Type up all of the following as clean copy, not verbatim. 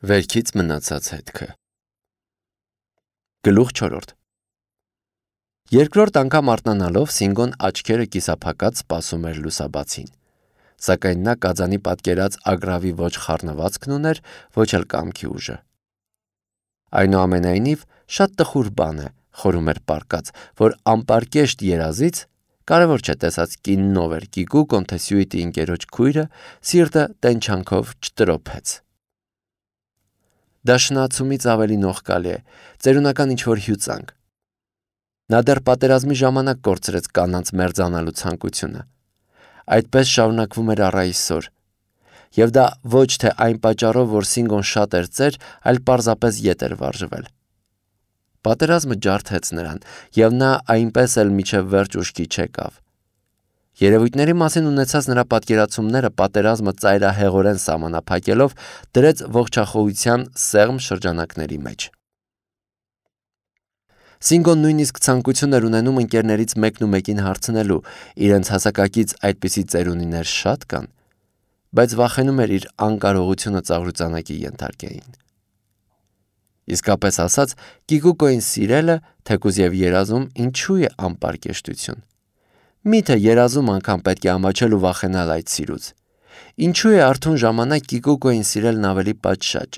Վերքից մնացած հետքը։ Գլուխ 4 Երկրորդ անգամ արթնանալով Սինգոն աչքերը կիսափակած սպասում էր լուսաբացին, սակայն նա կածանի պատկերած ագռավի ոչ խառնվածքն ուներ, ոչ էլ կամքի ուժը։ Այնուամենայնիվ, շատ տխուր բան է, խորում էր պառկած, որ անպարկեշտ երազից, կարևոր չէ տեսած կինն ով էր, Կիկուկոն թե Սյուիտի ընկերոջ քույրը, սիրտը տենչանքով չտրոփեց։ Դա շնացումից ավելի նողկալի է, ծերունական ինչ-որ հյուծանք։ Նա դեռ պատերազմի ժամանակ կորցրեց կանանց մերձանալու ցանկությունը։ Այդպես շարունակվում էր առ այսօր։ Եվ դա ոչ թե այն պատճառով, որ Սինգոն շատ էր ծեր, այլ պարզապես ետ էր վարժվել։ Պատերազմը ջարդեց նրան, և նա այնպես էլ մինչև վերջ ուշքի չեկավ։ Երևույթների մասին ունեցած նրա պատկերացումները պատերազմը ծայրահեղորեն սահմանափակելով դրեց ողջախոհության սեղմ շրջանակների մեջ։ Սինգոն նույնիսկ ցանկություն էր ունենում ընկերներից մեկն ու մեկին հարցնելու, իրենց հասակակից այդպիսի ծերունիներ շատ կան, բայց վախենում էր իր անկարողությունը ծաղրուծանակի ենթարկեին։ Իսկապես ասած, Կիկուկոյին սիրելը, թեկուզ և երազում, ինչու է անպարկեշտություն։ Միթե երազում անգամ պետք է ամաչել ու վախենալ այդ սիրուց։ Ինչու է արթուն ժամանակ Կիկուկոյին սիրելն ավելի պատշաճ։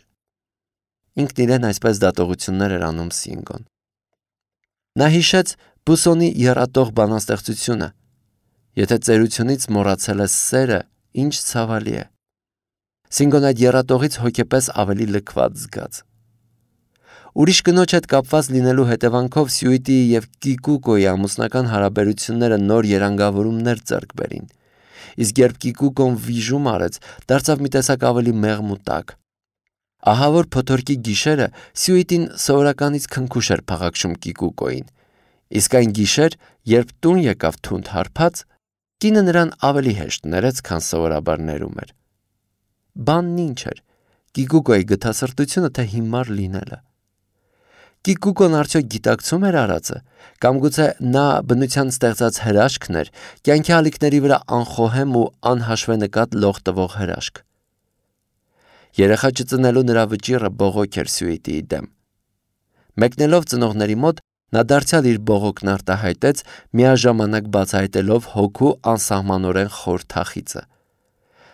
Ինքն իրեն այսպես դատողություններ էր անում Սինգոն։ Նա հիշեց Բուսոնի եռատող բանաստեղծությունը. «Եթե ծերությունից մոռացել ես սերը, ինչ ցավալի է»։ Սինգոն այդ եռատողից հոգեպես ավելի լքված զգաց։ Ուրիշ կնոջ հետ կապված լինելու հետևանքով Սյուիտիի և Կիկուկոյի ամուսնական հարաբերությունները նոր երանգավորումներ ձեռք բերին, իսկ երբ Կիկուկոն վիժում արեց, դարձավ մի տեսակ ավելի մեղմ ու տաք։ Ահավոր փոթորկի գիշերը Սյուիտին սովորականից քնքուշ էր փաղաքշում Կիկուկոյին, իսկ այն գիշեր, երբ տուն եկավ թունդ հարբած, կինը նրան ավելի հեշտ ներեց, քան սովորաբար ներում էր։ Բանն ինչ էր, Կիկուկոյի գթասրտությունը թե հիմար լինելը։ Կիկուկոն արդյոք գիտակցում էր արածը, կամ գուցե նա բնության ստեղծած հրաշքն էր, կյանքի ալիքների վրա անխոհեմ ու անհաշվենկատ լող տվող հրաշք։ Երեխա չծնելու նրա վճիռը բողոք էր Սյուիտիի դեմ։ Մեկնելով ծնողների մոտ, նա դարձյալ իր բողոքն արտահայտեց, միաժամանակ բացահայտելով հոգու անսահմանորեն խոր թախիծը։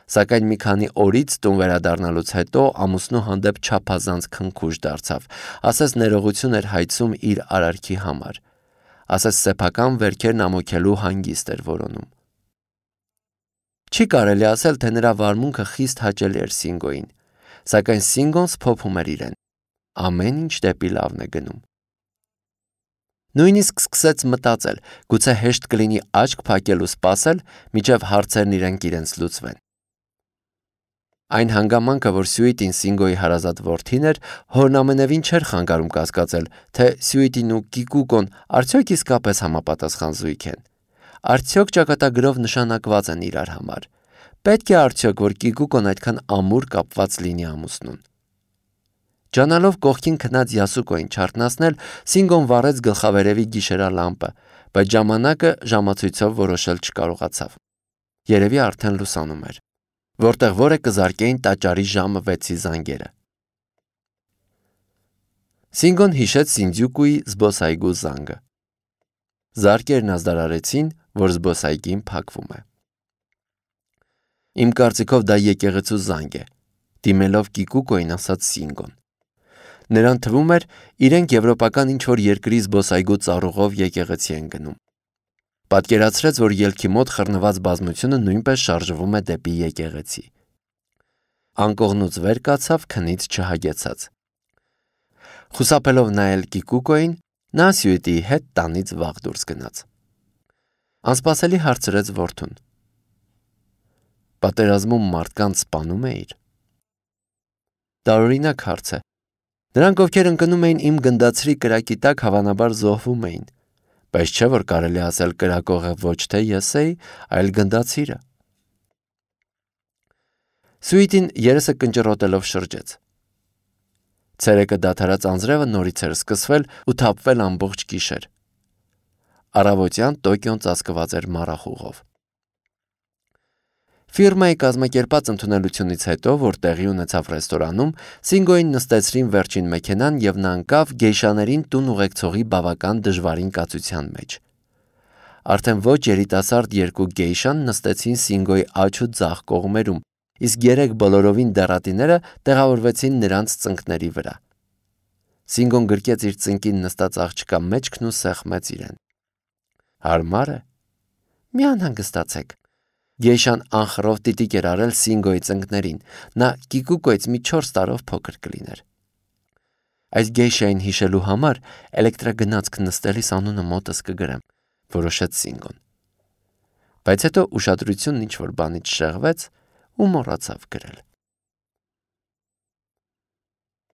Սակայն մի քանի օրից տուն վերադառնալուց հետո ամուսնու հանդեպ չափազանց քնքուշ դարձավ, ասես ներողություն էր հայցում իր արարքի համար, ասես սեփական վերքերն ամոքելու հանգիստ էր որոնում։ Չի կարելի ասել, թե նրա վարմունքը խիստ հաճելի էր Սինգոյին, սակայն Սինգոն սփոփում էր իրեն։ Ամեն ինչ դեպի լավն է գնում։ Նույնիսկ սկսեց մտածել, գուցե հեշտ կլինի աչք փակել ու սպասել, մինչև հարցերն իրենց լուծվեն։ Այն հանգամանքը, որ Սյուիտին Սինգոյի հարազատ որդին էր, հորն ամենևին չէր խանգարում կասկածել, թե Սյուիտին ու Կիկուկոն արդյոք իսկապես համապատասխան զույգ են։ Արդյոք ճակատագրով նշանակված են իրար համար։ Պետք է արդյոք, որ Կիկուկոն այդքան ամուր կապված լինի ամուսնուն։ Ջանալով կողքին քնած Յասուկոյին չարթնացնել, Սինգոն վառեց գլխավերևի գիշերալամպը, բայց ժամանակը ժամացույցով որոշել չկարողացավ։ Երևի արդեն լուսանում էր, որտեղ որը կզարկեին տաճարի ժամը 6-ի զանգերը։ Սինգոն հիշեց Սինդզյուկուի զբոսայգու զանգը։ Զարկերն ազդարարեցին, որ զբոսայգին փակվում է։ Իմ կարծիքով դա եկեղեցու զանգ է, դիմելով Կիկուկոյին ասաց Սինգոն։ Նրան թվում էր, իրենք եվրոպական ինչ-որ երկրի զբոսայգու ծառուղով եկեղեցի են գնում։ Պատկերացրեց, որ ելքի մոտ խռնված բազմությունը նույնպես շարժվում է դեպի եկեղեցի։ Անկողնուց վեր կացավ, քնից չհագեցած։ Խուսափելով նայել Կիկուկոյին, նա Սյուիտիի հետ տանից վաղ դուրս գնաց։ Անսպասելի հարցրեց որդուն. Պատերազմում մարդկանց սպանում էիր։ Տարօրինակ հարց է։ Նրանք, ովքեր ընկնում էին իմ գնդացրի կրակի տակ, հավանաբար զոհվում էին, բայց չէ, որ կարելի ասել կրակողը ոչ թե ես էի, այլ գնդացիրը։ Սյուիտին երեսը կնճռոտելով շրջեց։ Ցերեկը դադարած անձրևը նորից էր սկսվել ու թափվել ամբողջ գիշեր։ Առավոտյան Տոկիոն ծածկված էր մառախուղով։ Ֆիրմայի կազմակերպած ընդունելությունից հետո, որ տեղի ունեցավ ռեստորանում, Սինգոին նստեցրին վերջին մեքենան և նա ընկավ գեյշաներին տուն ուղեկցողի բավական դժվարին կացության մեջ։ Արդեն ոչ երիտասարդ երկու գեյշան նստեցին Սինգոյի աջ ու ձախ կողմերում, իսկ 3 բոլորովին դեռատիները տեղավորվեցին նրանց ծնկների վրա։ Սինգոն գրկեց իր ծնկին նստած աղջկա մեջքն ու սեղմեց իրեն։ Հարմար է։ Մի անհանգստացեք։ Գեյշան անխռով տիտիկ էր արել Սինգոյի ծնկներին, նա կիկուկոյից մի 4 տարով փոքր կլիներ։ Այս գեյշային հիշելու համար էլեկտրագնացք նստելիս անունը մոտս կգրեմ, որոշեց Սինգոն։ Բայց հետո ուշադրությունն ինչ-որ բանից շեղվեց ու մոռացավ գրել։